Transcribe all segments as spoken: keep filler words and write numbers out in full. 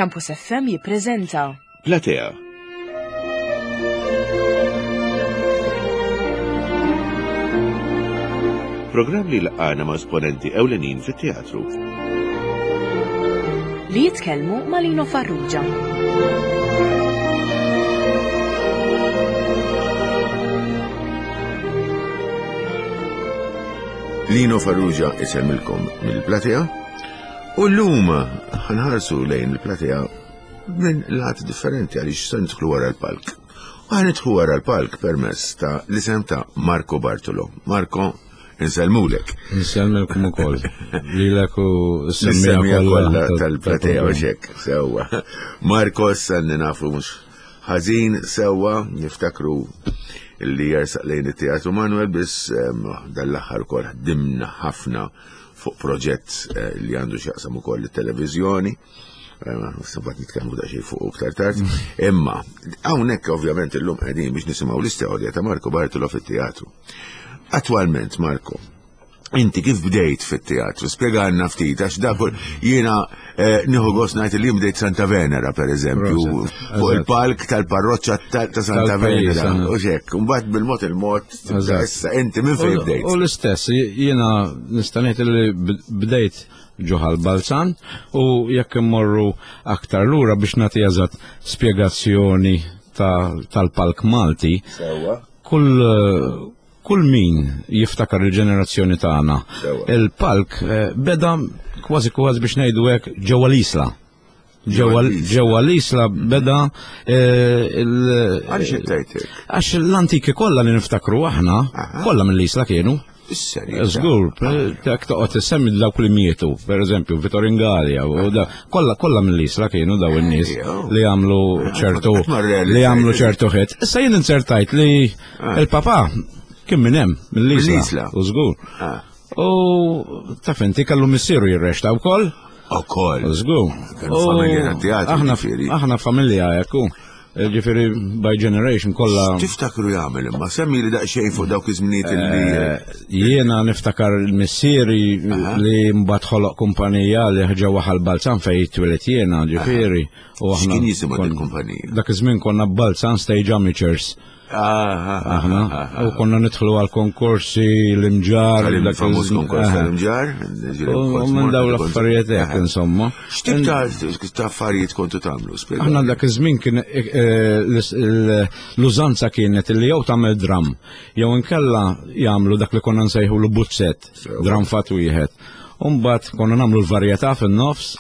Campus F M jippreżenta Platea. Programm li laqana ma' esponenti ewlenin fit-teatru. Li jitkellmu ma' Lino Farrugia. Lino Farrugia isemmilkom mill-Platea u l-lum ħa nħarsu lejn il-Platea minn lat differenti għaliex se nidħlu wara l-palk. U ħa nidħlu wara l-palk permezz ta' l-isem ta' Marco Bartolo. Marco, insellmulek. Insellmilkom ukoll. Lilek u s-semmija s-semmija kollha tal-Platea u xek, sewwa. Marco sanni nafu mhux ħażin sewwa, niftakru li jersaq lejn it-Teatru Manuel, biss em, dal-aħħar ukoll ħdimna ħafna fuq proġett eh, li għandu x'jaqsam ukoll it-televiżjoni. Sabat nitkellmu daqsxejn fuq iktar tard. Imma hawnhekk ovvjament illum qegħdin biex nisimgħu l-istorja ta' Marco Bartolo fit-teatru. Attwalment, Marco, inti kif bdejt fit-teatru? Spjegalna ftit, għax dak jiena eh, nieħu gost ngħid li jien bdejt Santa Venera, per eżempju, Proset, fuq eżatt. il-palk tal-parroċċa ta' ta' Santa Tal-pajjiż, Venera. eh. U xek, mbagħad bil-mod il-mod, tibda Eżatt. issa inti minn fejn bdejt? U l-istess, jiena nista' ngħid li bdejt ġo Ħal Balzan u jekk immorru aktar lura biex nagħti eżatt spjegazzjoni ta- tal-palk Malti, Sewwa. kull kull min jiftakar il-ġenerazzjoni tagħna. Sewwa. Il-palk eh, beda kważi kważi biex ngħidu hekk ġewwa l-Isla. Ġewwa l-Isla. Ġewwa l-Isla beda eh, il- Għaliex qed tgħid hekk? Għax l-antiki kollha li niftakru aħna, Aha. kollha mill-Isla kienu. Is-serjetà. Żgur, dak toqgħod issemmi dawk li mietu, per eżempju, Vittorin Galea, u da, kollha kollha mill-Isla kienu daw in-nies Ejjew. li għamlu ċertu qatt ma rrealizzajt. li għamlu ċertu ħet. Issa jien inzertajt li Ah. il-papà kien minn hemm, mill-Isla. Mill-Isla. U żgur. Ah. U taf inti kellu missieru jirreċta wkoll. Ukoll. Żgur. Kienu familja tat-teatru, Aħna ġifieri. aħna familja hekk hu. Ġifieri by generation kollha. Tiftakru jagħmel imma semmi li daqsxejn fuq dawk iż-żminijiet li Eh, Jiena niftakar il-missieri li mbagħad ħoloq kumpanija li ġewwa Ħal Balzan fejn twilet jiena, ġifieri. U aħna X'kien jisimha kon- din kumpanija? Dak iż-żmien konna Balzan Stage Amateurs. Ah, Aħna u konna nidħlu għal konkorsi l-Imġarr. dak Tal-famuż iż-żmien- konkors Aha. tal-Imġarr. U minn dawn l-affarijiet hekk insomma. X'tip ta' ta' affarijiet kontu tagħmlu? Spjega. Aħna dak iż-żmien kien eh, l- l- l-użanza kienet li jew tagħmel dram, jew inkella jagħmlu dak li konna nsejħu l buzzett, Sewa. dram fat wieħed. Umbagħad konna nagħmlu l-varjetà fin-nofs.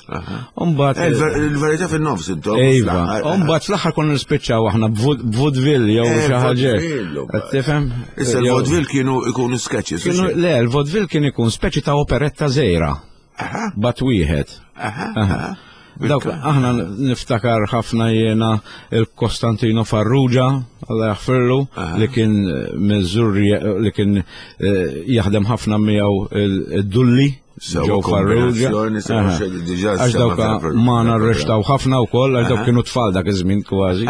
Umbagħad Eh, Il-varjetà fin-nofs intom. Iva, fl-aħħar. umbagħad fl-aħħar konna nispiċċaw aħna b'vaudeville jew Eh, xi ħaġa. vaudeville, Qed tifhem? Issa Jew- il-vaudeville kienu ikunu sketches. Kienu, le, il-vaudeville kien ikun speċi ta' operetta żgħira. Aha, Bat wieħed. aha, Aha. aha. Dawk, aħna niftakar ħafna jiena il-Kostantino Farrugia, Alla jaħfirlu, li kien eh, Mizzurri, li kien eh, jaħdem ħafna miegħu il-Dulli, Sewa Joe Farrugia. kombinazzjoni, sewa Aha. xe- diġà Għax sema dawk tal-pro- ma tal-programm. narrextaw ħafna wkoll, għax dawk kienu tfal dak iż-żmien kważi,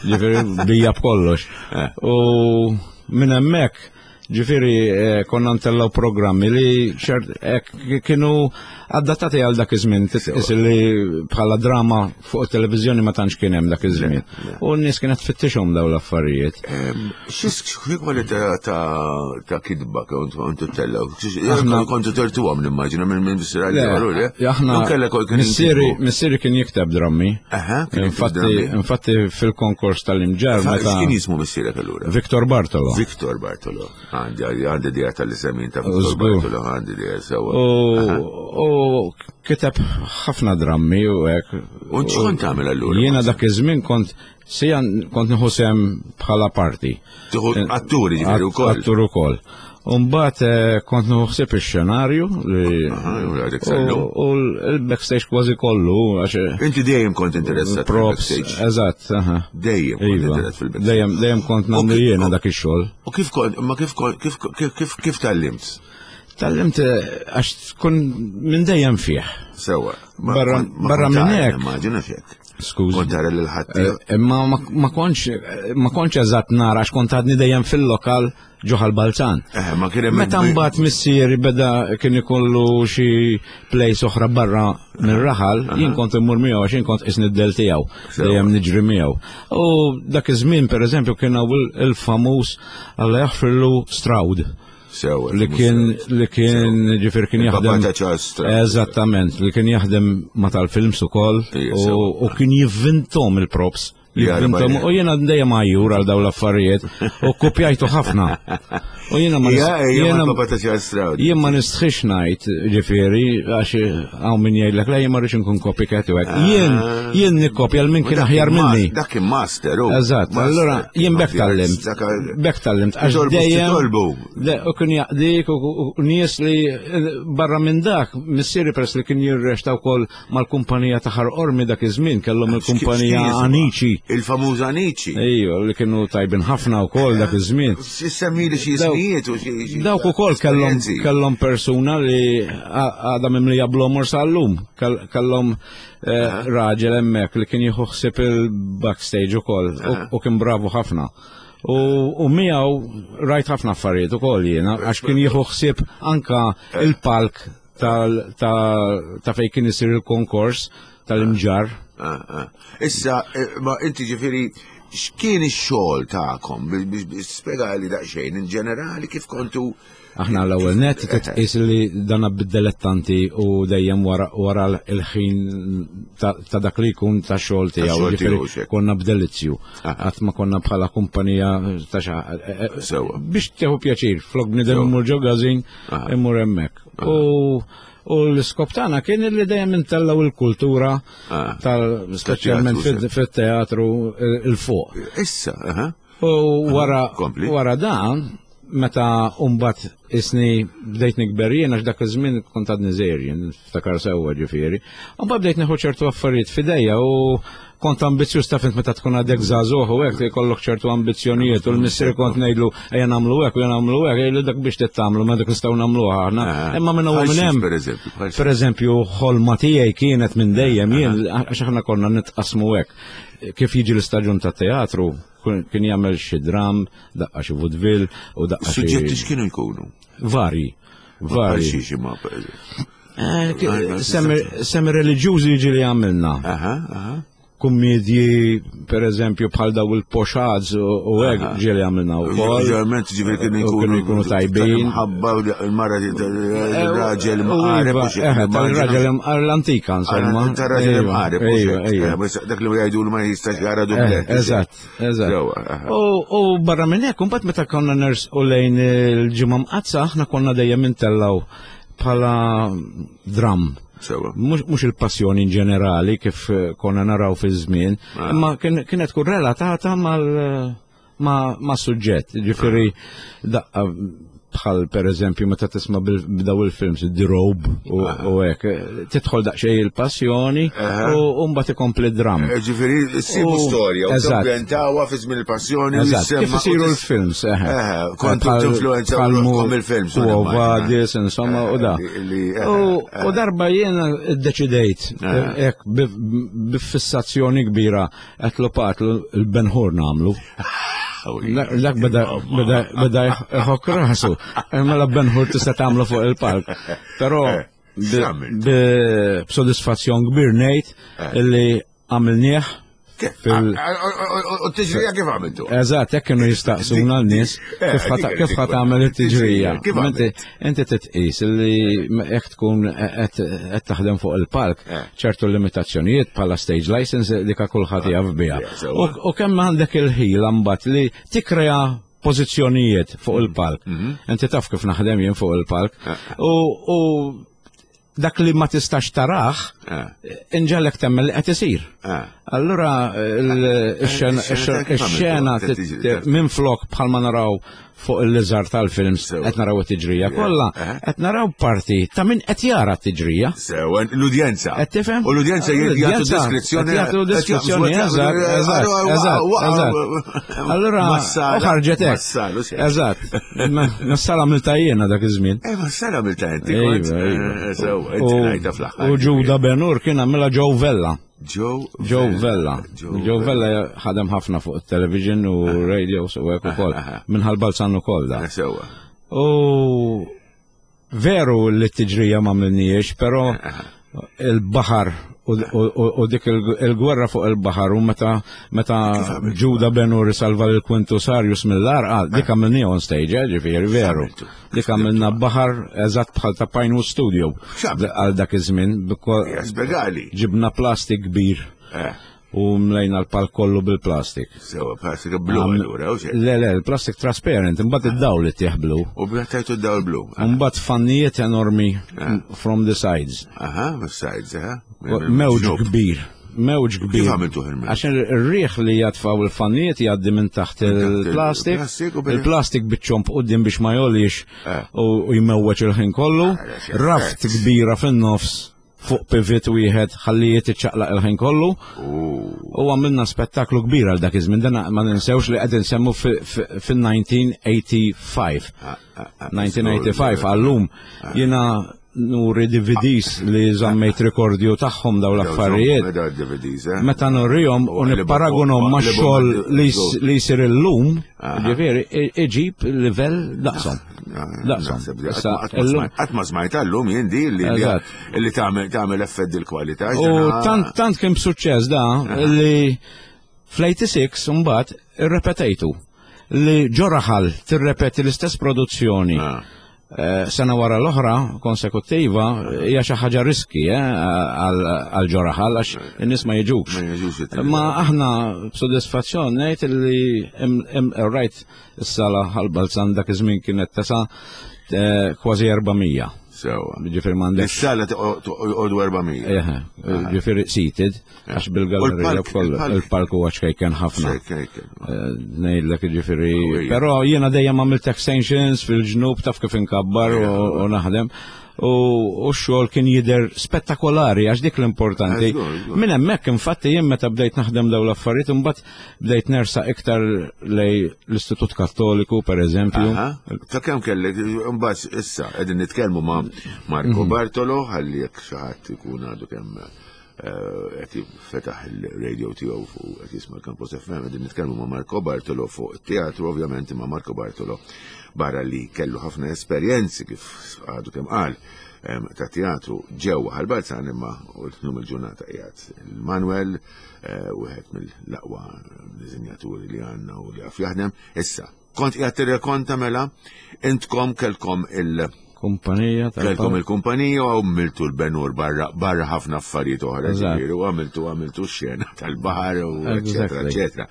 ġifieri bija b'kollox. Eh. U minn hemmhekk ġifieri eh, konna ntellaw programmi li ċert ek kienu adattati għal dak iż-żmien, titqis li bħala drama fuq it-televiżjoni ma tantx kien hemm dak iż-żmien. U n-nies kienet tfittixhom dawn l-affarijiet. Xi kwalità ta' ta' kitba kontu kontu tellaw? Aħna- Kontu tertuhom nimmaġina minn minn bissira li Le, aħna Kellek kien missieri missieri kien jikteb drammi. Aha, kien jikteb Infatti, drammi. infatti fil-konkors tal-Imġarr meta X'kien jismu missierek allura? Victor Bartolo. Victor Bartolo. Għandi għandi idea tal-isemin ta' Victor Żgur. Bartolo, għandi idea sewwa. U u kiteb ħafna drammi u hekk. U x'kont tagħmel allura? Jiena dak iż-żmien kont sija kont nieħu sem bħala parti. Tieħu atturi ġifieri wkoll. Attur ukoll. Umbagħad eh, kont nieħu ħsieb ix-xenarju li Aha, u għadek u sallum. u l-backstage kważi kollu għax Inti dejjem kont interessat props, fil-backstage. eżatt, aha. Dejjem kont Iva. interessat fil-backstage. Dejjem dejjem kont nagħmlu U kif- jiena dak ix-xogħol. U kif kont, ma kif kont, kif kif kif kif tgħallimt? Tgħallimt eh, għax tkun minn dejjem fih. Sewwa. Ma Barra- kont- ma barra kont minn tgħallem, hekk. Immaġina xek. Skużi. Kont tara lil ħadd. Eh, Imma ma- ma kontx ma kontx eżatt nara għax kont għadni dejjem fil-lokal ġo Ħal Balzan. Eh, ma kien hemm Meta mbagħad missieri beda kien ikollu xi plays oħra barra mir-raħal, jien kont immur miegħu għax jien kont isni d-del tiegħu, dejjem niġri miegħu. U dak iż-żmien pereżempju kien hawn il-famuż Alla jaħfirlu Stroud Sewa. li kien li kien ġifier kien Il-papà jaħdem ta' Charles Stroud. Eżattament, li kien jaħdem ma tal-films ukoll Ija, u sewa. u kien jivvintom il-props. Jara Jivvintom bajja. u jiena dejjem għajjur għal dawn l-affarijiet u kopjajtu ħafna. U jiena ma Ija, nis- ija, jiena mal-papà ta' Charles Stroud. jien ma nistħix ngħid ġifieri għax hawn min jgħidlek la jien ma rridx inkun copycat u hekk. Jien jien nikkopja l min kien Dak aħjar kien mas- minni. Dak kien master, u. Eżatt, Master, allura jien bekk tallimt. Dak- Bekk tallimt għax Titolbu, dejjem titolbu. De, u kien jaqdik u u- u nies li eh, barra minn dak, missieri peress li kien jirrexta wkoll mal-kumpanija ta' Ħal Qormi dak iż-żmien kellhom il-kumpanija X'kien jisimha? Anici. Il-famuż Anici. Ejju, li kienu tajbin ħafna wkoll dak iż-żmien. Semmi li xi Dawk- ismijiet u xi. xi- Dawk ukoll kellhom esperjenzi. kellhom persuna li għadha mimlija bl-omor sal-lum. Kell- Kellhom eh, raġel hemmhekk li kien jieħu ħsieb il-backstage ukoll u- u kien bravu ħafna. U, u miegħu rajt ħafna affarijiet ukoll jiena għax kien jieħu ħsieb anka il-palk tal- ta' ta' fejn kien isir il-konkors tal-imġar. Ah, ah. Issa, eh, ma inti ġifieri, x'kien ix-xogħol tagħkom? Biex biex spjegali daqsxejn in ġenerali kif kontu Aħna l-ewwel net titqis li dana bid-dilettanti u dejjem wara wara l-ħin ta' ta' dak li jkun ta' xogħol tiegħu. xogħol Ġifieri tiegħu, xek. konna b'delizzju. Qatt ma konna bħala kumpanija ta' xa. Sewwa. Biex tieħu pjaċir, flok bniedem Sewwa. imur ġo każin, imur hemmhekk. U u l-iskop tagħna kien li dejjem intellgħu il-kultura Ah. tal speċjalment Tat-teatru, fit-teatru il-fuq. Issa, aha. U wara kompli. wara dan, meta umbat isni bdejt nikber jien għax dak iż-żmien kont għadni żgħir jien niftakar sewwa ġifieri. Mbagħad bdejt nieħu ċertu affarijiet f'idejja u kont ambizzjuż taf int meta tkun għadek żagħżugħ u hekk jkollok ċertu ambizzjonijiet u l-missier kont ngħidlu ejja nagħmlu hekk u ejja nagħmlu hekk, jgħidlu dak biex tagħmlu ma dak nistgħu nagħmluha aħna. Ah. Imma minn hawn Bħal minn xiex, hemm. per eżempju, bħal xiex. Per eżempju, ħolma tiegħi kienet minn dejjem jien għax aħna konna nitqasmu hekk. Kif jiġi l-istaġun ta' teatru, kien jagħmel xi dram, daqqa xi vaudeville u daqqa xi Suġġetti x'kienu jkunu? vari. Bħal Vari. xiex imma, per eżempju. Eh, ki- Semi semi reliġjużi jiġi li għamilna. Aha, aha. Kummedji, per eżempju, bħal daw il-pochades u u hekk ġieli għamilna wkoll. Ġeneralment ġifieri kienu U jkunu kienu jkunu tajbin. Ħabba il-mara il-raġel U mqareb iva, u xi- eh, tal-raġel imqareb l-antika, insomma. Tal-raġel Ejwa, imqareb u Ejwa, xi. ejwa. Eh, bas Dak li jgħidu li ma jistax jara Eh, dublet. Eżatt, eżatt. Sewwa, aha. U u barra minn hekk, imbagħad meta konna ners u lejn il-ġimgħa mqaddsa, aħna konna dejjem intellgħu bħala dram. Sewwa. Mhux mhux il-passjoni in ġenerali kif eh, konna naraw fi żmien, Ah. imma kien- kienet tkun relatata mal ma, ma suġġett, ġifieri daqqa bħal per eżempju meta tisma' bil- b'daw il-films The Robe u u hekk, eh, tidħol daqsxejn il-passjoni u u mbagħad ikompli dram. Eh, Ġifieri, sibu U- storja u eżatt. tambjentawha fi żmien il-passjoni u Eżatt, jissemma- kif isiru u tis- l-films, eħe. Eh, kontu Bħal- tinfluenza bħal mu- ruħkom il-films, U immaġina. Vadis, insomma, u da. Eh, li- li- eh, U eh. u darba jiena ddeċidejt, Eh. hekk b'fissazzjoni kbira, qed patlu il-Ben Hur nagħmlu. Dak dak beda beda beda jħok rasu. Mela Ben Hur tista' tagħmlu fuq il-palk. Però Eh, bi- x'għamilt? bi- b'sodisfazzjon kbir ngħid illi għamilnieh fil- Ah, ah, ah, ah, U t-tiġrija kif għamiltu? Eżatt, hekk kienu jistaqsuna l-nies Eh, kif ħa dik- kif ħa dik- tagħmel it-tiġrija. Kif Inti għamilt? inti titqis li jekk tkun qed qed taħdem fuq il-palk, Eh. ċertu limitazzjonijiet bħala stage license dik kulħadd jaf biha. yeah, sewwa. U u kemm għandek il-ħila mbagħad li tikkrea pożizzjonijiet fuq il-palk. Inti taf kif naħdem jien fuq il-palk. U u dak li ma tistax taraħ, Eh. inġalek temmen li qed isir. Eh. Allura il- ix-xena ix-xena kif ix-xena għamiltu? tit- minn flok bħalma naraw fuq il-liżar tal-films Sewa. qed naraw it-tiġrija kollha, Eh. qed naraw parti ta' min qed jara t-tiġrija. Sewa, l-udjenza. Qed tifhem? U l-udjenza jgħatu L-udjenza diskrezzjoni. qed jagħtu diskrezzjoni, eżatt, eżatt, eżatt, eżatt. Allura, u ħarġet hekk. Eżatt. Massala għamilta jiena dak iż-żmien. Eh, massala għamilta inti. Iva, kont. iva. Eh, Sewa, inti U- ngħidha fl-aħħar. U Ġuda Benur kien għamilha Joe Vella. Joe Joe Vella. Joe Vella ħadem ħafna fuq il-television u radio u hekk ukoll. Minn Ħal Balzan ukoll da. Sewwa. U veru li t-tiġrija ma għamilniex, pero il-baħar u, u, u dik il-gwerra fuq il-baħar u meta meta Ġuda Ben-Hur salva lil Quintus Arrius mill-għarqa, dik għamilni on stage, eh, ġifieri, veru. Dik għamilna baħar eżatt bħal ta' Pinewood Studio għal dak iż-żmien. Spjegali. Ġibna plastik kbir. Eh. U mlejna l-palk kollu bil-plastik. Sewwa, plastik blu allura, u xejn. Le, le, il-plastik trasparent, imbagħad id-dawl li tih blu. U bħattajtu d-dawl blu. Imbagħad fannijiet enormi from the sides. Aha, sides, aha. Mewġ kbir. Mewġ kbir. Kif għamiltu il-mewġ? Għax ir-riħ li jatfaw il-fannijiet jgħaddi minn taħt il-plastik. il-plastik u bil- Il-plastik biċ-ċomb quddiem biex ma jgħolix Eh. u u jmewweġ il-ħin kollu. Ah, Raft kbira fin-nofs fuq pivot wieħed ħalli jitċaqlaq il-ħin kollu. U għamilna spettaklu kbir għal dak iż-żmien, dan ma ninsewx li qed insemmu fin-elf disa' mija u ħamsa u disgħin. elf disa' mija u ħamsa u disgħin għallum jiena nuri D V Ds li żammejt rekordju tagħhom daw l-affarijiet. Da D V Ds, eh? Meta nurihom u nipparagunhom ma' xogħol li s- li jsir illum, ġifieri iġib livell daqshom. Daqshom. Issa, illum- Qatt ma smajt għallum jien di li Eżatt. li tagħmel tagħmel effett dil-kwalità. U tant tant kien b'suċċess da li fl-sitta u tmenin mbagħad irrepetejtu li ġo raħal tirrepeti l-istess produzzjoni. Ah. Eh, sena wara l-oħra konsekuttiva hija xi ħaġa riski eh, għal għal ġo raħal għax in-nies ma jiġux. Ma jiġux it- Ma aħna b'sodisfazzjon ngħid li im- im- rajt is-sala Ħal Balzan dak iż-żmien kienet tesa' eh, kważi erba' mija. Sewwa. Ġifieri m'għandek Is-sala toqgħodu erba' mija. Eħe, ġifieri seated, għax bil-gallerija U l-palk- kollu, il-palk- il-palk huwa ċkejken ħafna. Ċkejken. Eh, Ngħidlek ġifieri, Qawwija. però jiena dejjem għamilt extensions fil-ġnub, taf kif inkabbar u u naħdem. U u x-xogħol kien jidher spettakolari għax dik l-importanti. Żgur, żgur. Minn hemmhekk infatti jien meta bdejt naħdem dawn l-affarijiet imbagħad bdejt nersa iktar lej l-Istitut Kattoliku per eżempju. Aha. Ta' kemm kellek, imbagħad issa qegħdin nitkellmu ma' Marco Mhm. Bartolo, ħalli jekk xi ħadd ikun għadu kemm eh, qed fetaħ il-radio tiegħu fuq qed jisma' l-Campus F M, qegħdin nitkellmu ma' Marco Bartolo fuq it-teatru ovvjament, ma' Marco Bartolo barra li kellu ħafna esperjenzi kif għadu kemm qal em, ta' teatru ġewwa Ħal Balzan, imma u l-lum il-ġurnata qiegħed il-Manuel, eh, wieħed mill-aqwa diżinjaturi li għandna u li għaf jaħdem. Issa, kont qiegħed tirrekonta mela intkom kelkom il- Kumpanija kelkom tal il-kumpanija u għamiltu l-Ben-Hur barra barra ħafna affarijiet oħra, Eżatt. ġifieri, u għamiltu għamiltu x-xena tal-baħar u eċetera Exactly. eċetera.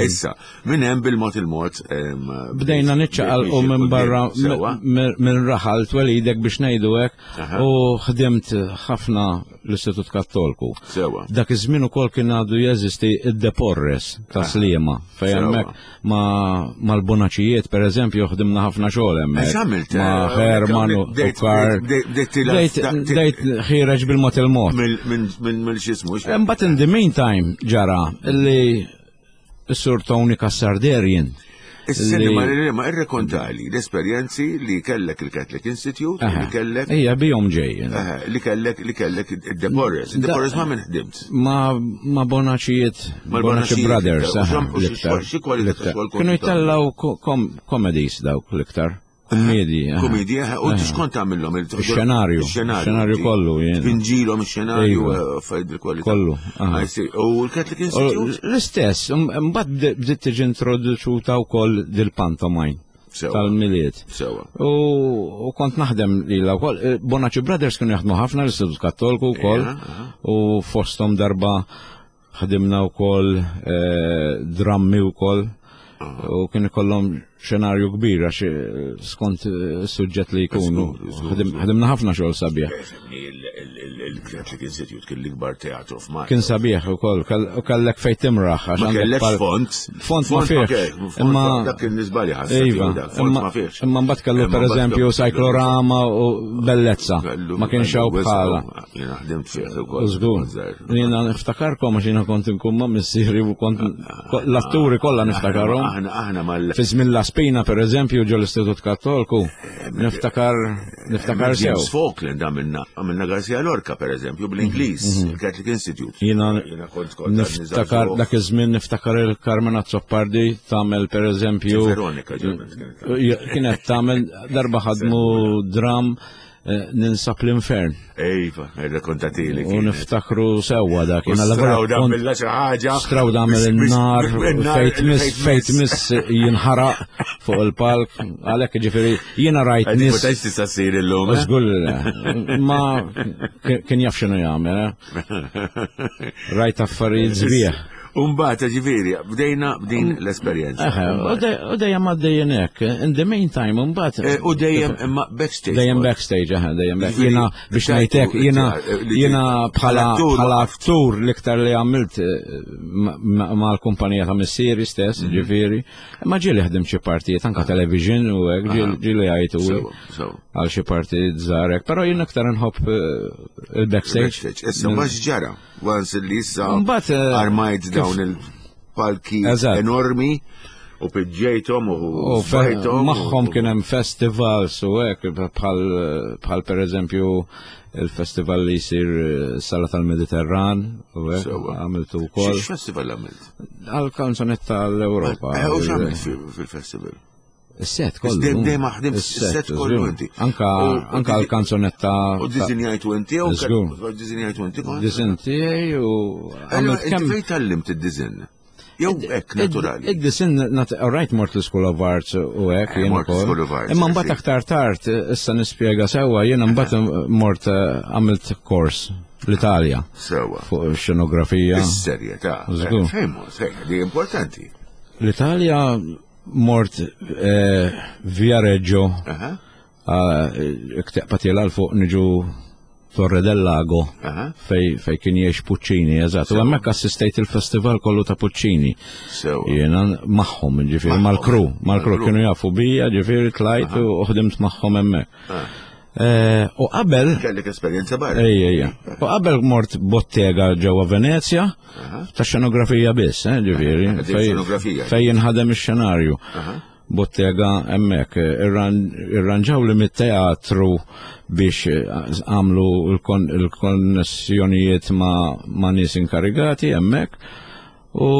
Issa, minn hemm bil-mod il-mod em, Bdejna niċċaqalqu bdejt minn barra sewwa. minn minn raħal twelidek biex ngħidu hekk Aha. u ħdimt ħafna l-Istitut Kattolku. Sewwa. Dak iż-żmien ukoll kien għadu jeżisti id-De Porres ta' Sliema fejn Sewwa. hemmhekk ma' mal-Bonaċijiet pereżempju ħdimna ħafna xogħol hemmhekk. X'għamilt? Ma' Eh, Herman u bdejt- u Karl. bdejt- bdejt tilgħab- Bdejt bdejt ħireġ bil-mod il-mod. Mill minn mill x'ismu Imbagħad in the meantime ġara li s-Sur Tony Cassar Derrien Is-seni li- ma ma irrekontali l-esperjenzi li kellek il-Catholic Institute, li kellek Ija bijom ġej. eh, li kellek li kellek id-De Porres. Id-De Porres ma' min ħdimt? Ma ma Bonaċijiet, Ma' Bonaċi Bonaċijiet, Brothers, u aha, xam- u xi- l-iktar. xi kwalità ta' l-iktar. xogħol kontu Kienu tagħmel? jitellaw ko- kom- comedies dawk l-iktar. Kummedji. aha. Komedija, u x'kont tagħmilhom? Ix-xenarju, ix-xenarju kollu, jien. Tpinġilhom ix-xenarju Iva. eh, affarijiet bil-kwalità. Kollu, aha. I see. U l-Catholic U Institute? L-istess, um, mbagħad bde- bdiet tiġi introduċuta wkoll dil-pantomime Sewwa. tal-Milied. Sewwa. U, u kont naħdem lila wkoll. Eh, Bonaċi Brothers kienu jaħdmu ħafna l-Istitut Kattolku wkoll. Ija, aha. U fosthom darba ħdimna wkoll eh, drammi wkoll. U kien ikollhom xenarju kbir għax eh, skont eh, is-suġġett li jkunu. Żgur, żgur, Ħadim- Ħadimna ħafna xogħol sabiħ. Il-Catholic Institute kien l-ikbar teatru f'Malta. Kien sabiħ ukoll, kell- u kellek fejn timraħ għax Ma għandek kellekx pal- font. Font ma fihx. Imma dak kien nisbali ħassa. Iva, font imma ma fihx. imma mbagħad kellu Imma per mbagħad eżempju kellu- cyclorama u bellezza. kellu- Ma kienx hawn kellu bħala. Jiena ħdimt fih ukoll. Żgur. Jiena niftakarkom għax jiena kont inkun ma' missieri u kont l-atturi kollha niftakarhom. Aħna aħna mal Fi żmien La Spina per eżempju ġo l-Istitut Kattolku niftakar Niftakar sew. James Falkland għamilna, għamilna Garcia Lorca, per eżempju, bl-Ingliż, il-Catholic Institute. Jiena Jiena kont kont niftakar dak iż-żmien, niftakar il-Carmen Azzopardi tagħmel, per eżempju, Veronika ġenet kienet. Kienet tagħmel, darba ħadmu dram eh, Ninsab l-Infern. Ejva, rrakkontatili. U niftakru sewwa dak. Jiena Straw l-vera da kont- billa xi ħaġa. Straw damel il-nar, fejt miss, fejt miss jinħaraq fuq il-palk, għalhekk ġifieri jiena rajt Għaddi nies. ma tantx tista' ssir illum, eh? Żgur li le. Ma kien jaf x'inhu jagħmel, eh? Rajt affarijiet sbieħ. Umbagħad, ġifieri, bdejna b'din l-esperjenza. Eħe, u dej- u dejjem għaddejjin hekk. In the meantime, mbagħad. Eh, U dejjem imma backstage. Dejjem backstage, eħe, dejjem back. Ġifieri, Jiena biex tajtu ngħidlek, jiena li- jiena bħala bħala attur bħala waqaft. attur l-iktar li għamilt eh, ma- ma- mal-kumpanija ta' missieri stess, Mhm. ġifieri. Ma ġieli ħdim xi partijiet anka television u hekk, ġieli- ġieli għajtu Sewa, sewa. għal xi partijiet żgħar hekk, però jien aktar nħobb eh, il-backstage. Backstage. Issa ma x'ġara, once li issa Mbagħad, eh, armajt kif- dawn il-palki Eżatt. enormi u piġġejthom u U fe- sfajthom. magħhom kien hemm festivals u hekk, bħal bħal per eżempju il-festival li jsir eh, Sala tal-Mediterran u hekk Sewa. għamiltu wkoll X'festival għamilt? għal kanzonetta l-Ewropa. Eh, U x'għamilt fi- fil-festival? Is-set kollu. Dejjem dejjem ħdimt is-set kollu żgur. inti. Anka U- u anka di- l-kanzonetta U dizinjajtu inti u Żgur. dizinjajtu inti kont? Disin tiegħi u Allora, għamilt inti kemm fejn tgħallimt id-dizin? Jew hekk naturali. Id-disin, alright, mort l-School of Arts u hekk Eh, jien mort ukoll. School of Arts, Imma mbagħad sì. aktar tard, issa nispjega sewwa, jiena mbagħad mort eh, għamilt kors l-Italja Sewa. fuq xenografija. Is-serjetà. Żgur. Fejn mort? Fejn, di importanti. L-Italja mort eh, Viareggio, Aha, ikteqpa tiela l fuq niġu Torre del Lago, aha. fej, fej kien jgħix Puccini, eżatt. U hemmhekk assistejt il-festival kollu ta' Puccini. Sewa. Jiena magħhom, ġifieri, Magħhom. mal-kru, mal-kru Mal-kru. kienu jafu bija, ġifieri tlajt u ħdimt magħhom hemmhekk. Ah. Eh, U qabel, Kellek esperjenza barra. ejja, ejja, u qabel mort bottega ġewwa Venezja, ta' xenografija biss, eh, ġifieri, Din fej- xenografija. fej jinħadem ix-xenarju. Aha. Bottega hemmhekk, irran- irranġaw li mit-teatru biex eh, għamlu il-kon- il-konnessjonijiet ma' ma' nies inkarigati hemmhekk u,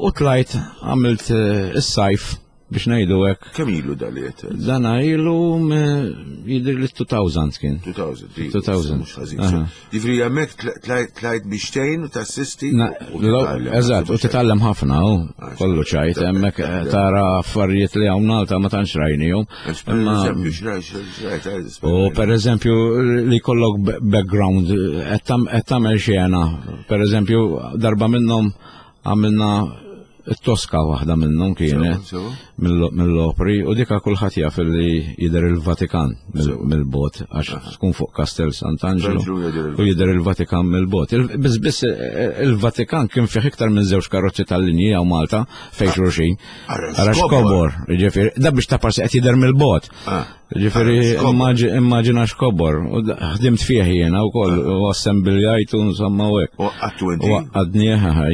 u tlajt għamilt eh, is-sajf biex ngħidu hekk. Kemm ilu dal-jiet? Dana ilu jidher li elfejn kien. elfejn. di- elfejn. Mhux ħażin. Aha. Ġifieri hemmhekk tlajt tlajt biex tgħin u tassisti. Na, u lo- titgħallem. Eżatt, u titgħallem ħafna, u Ah, kollu ċajt, hemmhekk eh, tara affarijiet li hawn Malta ma tantx rajnihom. Għax, per Imma- eżempju, xrajt, xrajt, xrajt, U per eżempju li kollok b- background, qed tam- qed tagħmel xena. Per eżempju, darba minnhom għamilna it-Toska, waħda minnhom kienet Sewa, sewa. mill- mill-opri, u dika kulħadd jaf li jidher il-Vatikan mill- mill-bot għax tkun fuq Castel Sant'Angelo Sant'Angelo jidher il- u jidher il-Vatikan mill-bot. Il- Biss biss eh, il-Vatikan kien fih iktar minn żewġ karozzi tal-linji hawn Malta fejn xulxin. Ara Ara xkobor. xkobor, ġifieri, da biex ta' parsi qed jidher mill-bot. Ah. Ġifieri, Ara xkobor. immaġi- immaġina xkobor. U da- ħdimt fih jiena wkoll u assembiljajtu insomma u hekk. U għattu inti? U għadni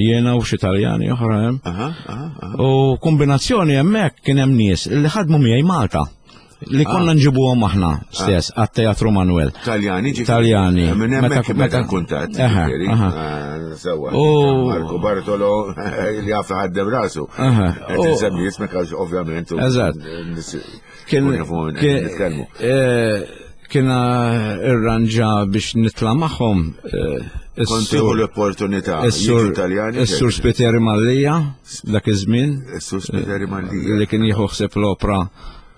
jiena u xi Taljani oħra hemm. Aha, aha, aha. U kombinazzjoni hemmhekk kien hemm nies li ħadmu miegħi Malta li konna nġibuhom aħna stess għat-Teatru Manuel. Taljani ġifieri. Taljani. Minn hemmhekk Meta- meta meta- kuntatt. Aha, ġifieri. aha. Ah, Sewa. U- Marco Bartolo li jaf ħaddem rasu. Aha. Qed U- insemmi ismek għax ovvjament. u- Eżatt. nis- Kien kun jafu minn qed kien- nitkellmu. eh, kien irranġa biex nitla' magħhom eh, Kont is-sur tieħu l-opportunità. is-sur Jiġu Taljani. is-sur Spiteri Mallija dak iż-żmien Is-sur Spiteri Mallija. li kien jieħu ħsieb l-opra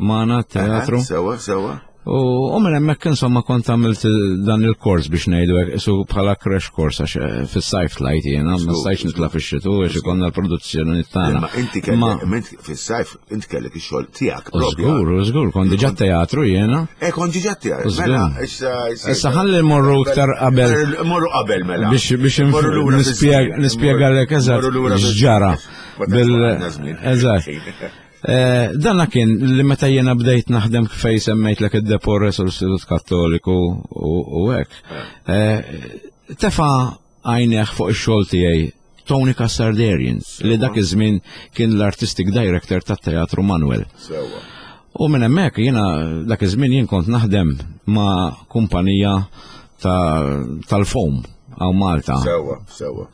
magħna teatru. Aha, Sewa, sewa. U u minn hemmhekk insomma kont għamilt dan il-kors biex ngħidu hekk, isu bħala crash course għax eh, fis-sajf tlajt jiena, ma Żgur, stajtx nitla' fix-xitu għax ikollna l-produzzjoni tagħna. Imma inti Ma- kellek, ment fis-sajf, inti kellek ix-xogħol tiegħek U propju. Żgur, u żgur, kont diġà teatru jiena. Eh, kont diġà tiegħek. Żgur. Mela, issa Issa ħalli morru iktar qabel Morru qabel mela. biex biex Morru lura nispjega fiż-żmien. nispjega lek eżatt Morru lura fiż-żmien. x'ġara. Ma tantx Bil għandna żmien. Eżatt. Eh, Dana kien li meta jiena bdejt naħdem fej semmejtlek id-Depores u l-Istitut Kattoliku u u hekk. Eh, Tefa għajneħ fuq ix-xogħol tiegħi Tony Cassardarian li dak iż-żmien kien l-artistic director tat-Teatru Manuel. Sewa. U minn hemmhekk jiena dak iż-żmien jien kont naħdem ma' kumpanija tal-foam hawn Malta. Sewwa, sewwa.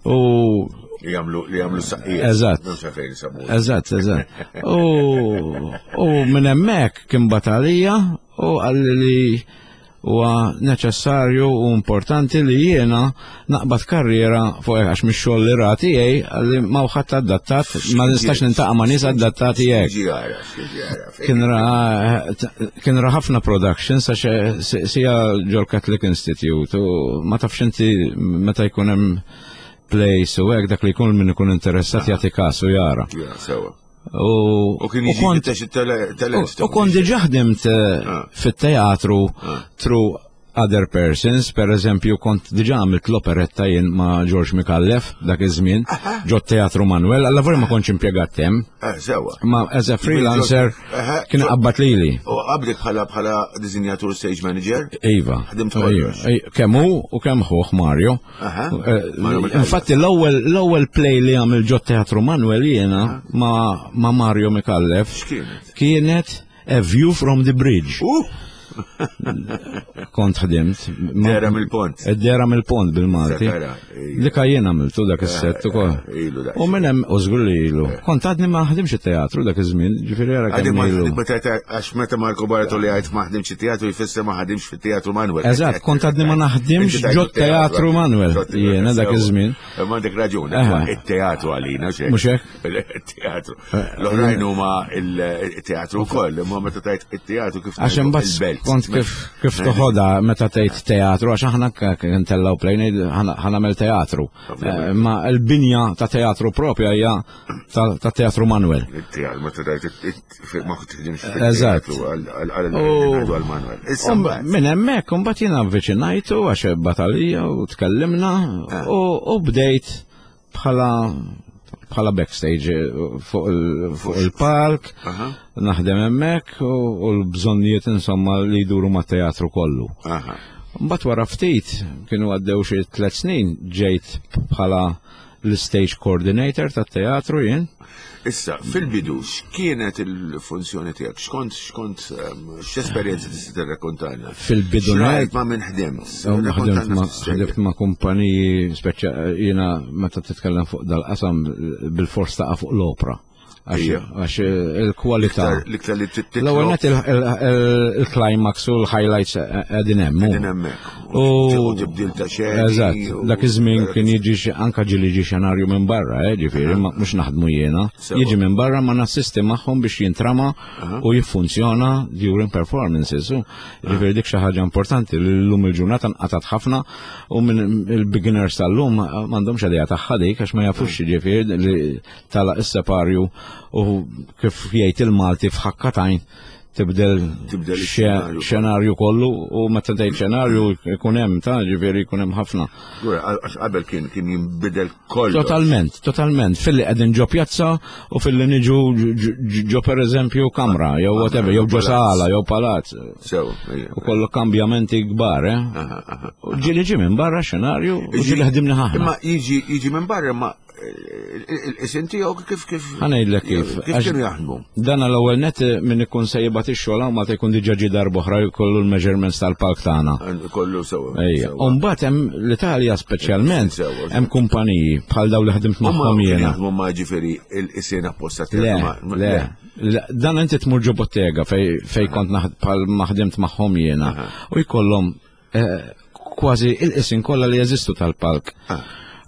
U li jagħmlu li jagħmlu saqqijiet. Eżatt. M'hemmx għalfejn isemmu. Eżatt, eżatt. U u minn hemmhekk kien batalija u qalli li huwa neċessarju u importanti li jiena naqbad karriera fuq hekk għax mix-xogħol li ra tiegħi qalli ma ħadd adattat, ma nistax nintaqa' ma' nies adattati hekk. Ġi jara, ġi jara. Kien ra kien ra ħafna productions għax sija ġol Catholic Institute u ma tafx inti meta jkun hemm plays u hekk dak li jkun min ikun interessat jagħti każ u jara. Ja, sewwa. U U kien jiġi kont fittex it-talent. u kont diġà ħdimt eh, Ah. fit-teatru through other persons, per eżempju kont diġà għamilt l-operetta jien ma' George Micallef dak iż-żmien ġo Teatru Manuel, alla vorja ma kontx impjegat hemm, Eh, sewwa. ma as a freelancer Aha. kien qabbat lili. U qablik bħala bħala disinjatur stage manager? Iva. Ħdimt Iva. kollox. Ej, Kemm hu u kemm ħuh Mario. Aha. Eh, Mario Micallef. Infatti l-ewwel l-ewwel play li għamil ġo Teatru Manuel jiena ma' ma' Mario Micallef X'kienet? kienet A View from the Bridge. Uh, Kont ħdimt. Ma- Dera mill-pont. Dera mill-pont bil-Malti. Sakara, ija. Dika jien għamiltu dak is-set ukoll. ilu dak. U minn hemm u żgur li ilu. Kont għadni ma ħdimx it-teatru dak iż-żmien, ġifieri ara Għaddi kemm ma ilu. meta ta- għax meta Marco Bartoli għajt ma ħdimx it-teatru jfisser ma ħadimx fit-teatru Manuel. Eżatt, kont għadni ma naħdimx Inti tajt ġo teatru Manuel, Ġo teatru, jiena dak sewwa. iż-żmien. Ma għandek raġun, Aha. it-teatru għalina, xek. Mhux hekk? Il-teatru. L-oħrajn huma il-teatru wkoll, imma meta tajt it-teatru kif Għax ngħidu imbagħad il-belt. kont kif kif toħodha meta tgħid teatru għax aħna ntellgħu play ngħid ħa nagħmel teatru. Ovvjament. Eh, Ma l-binja ta' teatru propja hija ta' ta' teatru Manuel. Il-teatru, meta tajt it- ma tħdimx Eżatt. fit-teatru għal U- għal Manuel. Issa Um, mbagħad. Minn hemmhekk imbagħad jiena avviċinajtu għax batalija u tkellimna u u bdejt bħala bħala backstage eh, fuq il- fuq il-palk, Aha. naħdem hemmhekk u u l-bżonnijiet insomma li jduru mat-teatru kollu. Aha. Mbagħad wara ftit kienu għaddew xi tliet snin ġejt bħala l-stage coordinator tat-teatru jien. Issa, fil-bidu, x'kienet il-funzjoni tiegħek? X'kont, x'kont, ehm, x'esperjenza tista' tirrakkontana? Fil-bidu X'rajt ma' minn ħdimt? Ħdimt Rrakkontalna ma' ftit storja. ħdimt ma' kumpaniji speċa jiena meta titkellem fuq dal-qasam bil-fors taqa' fuq l-opra. Għax Ija. għax il-kwalità. L-iktar- L-iktar li titlob. L-ewwel net il- il- il-climax u l-highlights qegħdin hemm. hu. Qegħdin hemmhekk. U U tibdil ta' xeni. Eżatt, u- dak iż-żmien kien jiġi xi- anka ġieli ġi xenarju minn barra, eh, ġifieri, ma mhux naħdmu jiena. Sewa. Jiġi minn barra ma nassisti magħhom biex jintrama u jiffunzjona during performances. u Ġifieri dik xi ħaġa importanti li llum il-ġurnata nqatat ħafna u minn il-beginners tal-lum m'għandhomx idea tagħha dik għax ma jafux ġifieri li tala is-separju u kif jgħid il-Malti f'ħakkatajn tibdel Tibdel xe- ix-xenarju. xenarju kollu u meta tgħid xenarju jkun hemm ta' ġifieri jkun hemm ħafna. Gura, Għax qabel kien kien jinbidel kollu. Totalment, totalment. Filli qegħdin ġo pjazza u filli niġu ġo- ġo ġo per eżempju kamra, jew whatever, jew ġo palazz. sala, jew palazz. Sew, ejja. U kollu kambjamenti kbar, eh? Aha, aha. U Ġieli ġi minn barra xenarju u ġieli ħdimni ħafna. Imma jiġi jiġi minn barra ma il-isim tiegħu kif kif Ħanejdlek kif. Kif Għax- kienu jaħdmu? Dan l-ewwel net minn ikun se jibgħat ix-xogħol hawn Malta jkun diġà ġie darb'oħra jkollu l-measurements tal-palk tagħna. Kollu sewa. Ejja. sewa. U mbagħad hemm l-Italja speċjalment Sewa. hemm kumpaniji bħal daw li ħdimt Huma magħhom kienu jiena. jaħdmu ma ġifieri il-isien apposta Le, tiegħek, le, le, dan inti tmur ġo bottega fej, fej kont naħd- bħal ma ħdimt magħhom jiena u jkollhom eh, kważi il-qisin kollha li jeżistu tal-palk. Ah.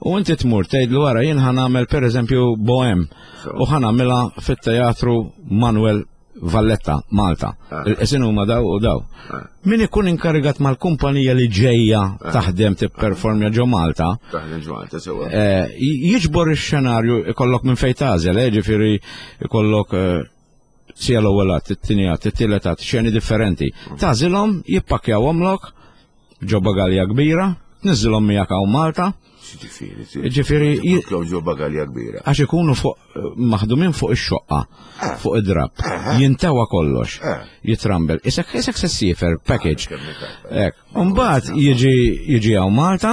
U inti tmur tgħidlu wara jien ħa nagħmel pereżempju Bohem Sewa. u ħa nagħmilha fit-teatru Manuel Valletta, Malta. Ah. Il-qisin huma daw u daw. Ah. Min ikun inkarigat mal-kumpanija li ġejja taħdem tipperformja ġo Malta, Taħdem ġo sewa. Eh, jiġbor ix-xenarju ikollok minn fejn tagħżel, eh, ġifieri ikollok eh, sija l-ewwel att, it-tieni att, it-tielet att, xeni differenti. Tagħżilhom, jippakkjawhomlok ġo bagalja kbira, tniżilhom miegħek hawn Malta, Ġifieri. ġifieri j- Jitlow ġo bagalja kbira. għax ikunu fuq maħdumin fuq ix-xoqqa, fuq id-drab, jintewa kollox, Eh. jitrambel. Isek isek se ssifer package. Kemm iktar. Ek, Mbagħad jiġi jiġi hawn Malta,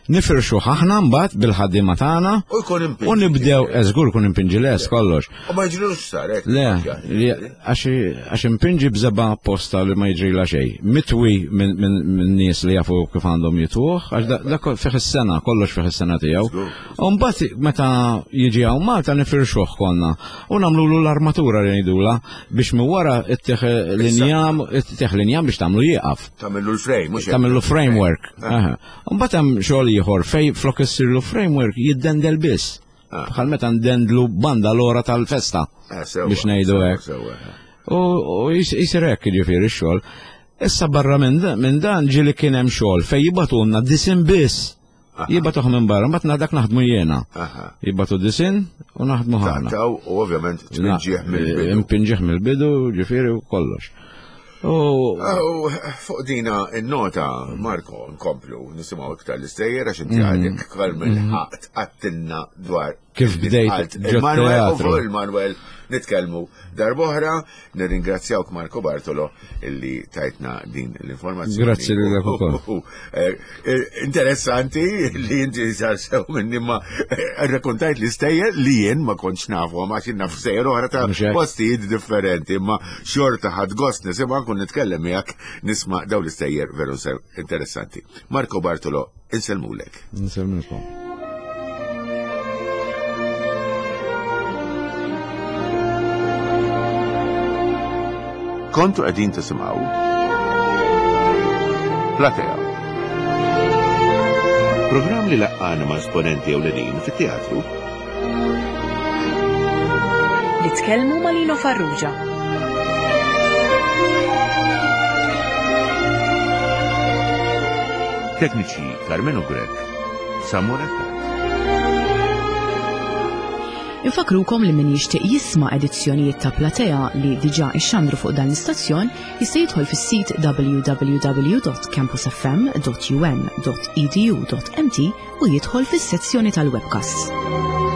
nifirxu aħna mbagħad bil-ħaddiema tagħna U jkun impinġi. U nibdew, żgur kun impinġi les kollox. U ma jiġrilux sar, hekk. Le, għax impinġi b'żeba apposta li ma jiġrila xejn. Mitwi minn nies li jafu kif għandhom jitwuh, għax dak fih is-sena, kollox fih is-sena tiegħu. U mbagħad meta jiġi hawn Malta nifirxuh konna u nagħmlulu l-armatura li ngħidula biex minn wara ittieħ l-injam, ittieħ l-injam biex tagħmlu jieqaf. Tagħmillu l-frame, mhux tagħmillu framework. Mbagħad hemm xogħol ieħor fej flok issirlu framework jiddendel biss. Bħal meta ndendlu banda l-ora tal-festa. Biex ngħidu hekk. U jisir hekk jiġifieri x-xogħol. Issa barra minn dan ġieli kien hemm xogħol fejn jibatulna disin biss. Jibatuh minn barra, mbagħad dak naħdmu jiena. Jibatu disin u naħdmu ħafna. U ovvjament tpinġih mill-bidu. Impinġih mill-bidu, ġifieri u kollox. U fuq dina in-nota, Marco, nkomplu nisimgħu iktar l-istejjer għax inti għadek kol mill-ħaqt għattinna dwar kif bdejt il-Manuel u fuq il-Manuel nitkellmu darb'oħra. Nirringrazzjawk Marco Bartolo illi tajtna din l-informazzjoni. Grazzi lilek ukoll. Interessanti li inti sar sew minni ma rrakkontajt l-istejjer li jien ma kontx nafhom għax jien naf stejjer oħra ta' postijiet differenti, imma xorta ħadd gost nisimgħu nkun nitkellem miegħek nisma' dawn l-istejjer veru sew interessanti. Marco Bartolo, insellmulek. Insellmulkom. Kontu qegħdin tisimgħu Platea. Programm li laqqana ma' esponenti ewlenin fit-teatru. Li tkellmu ma' Lino Farrugia. Tekniċi Carmenu Grech, Samuel Attard. Infakrukom li min jixtieq jisma' edizzjonijiet ta' Platea li diġà ixxandru fuq dan l-istazzjon jista' jidħol fis-sit w w w dot campus f m dot u n dot e d u dot m t u jidħol fis-sezzjoni tal-webcasts.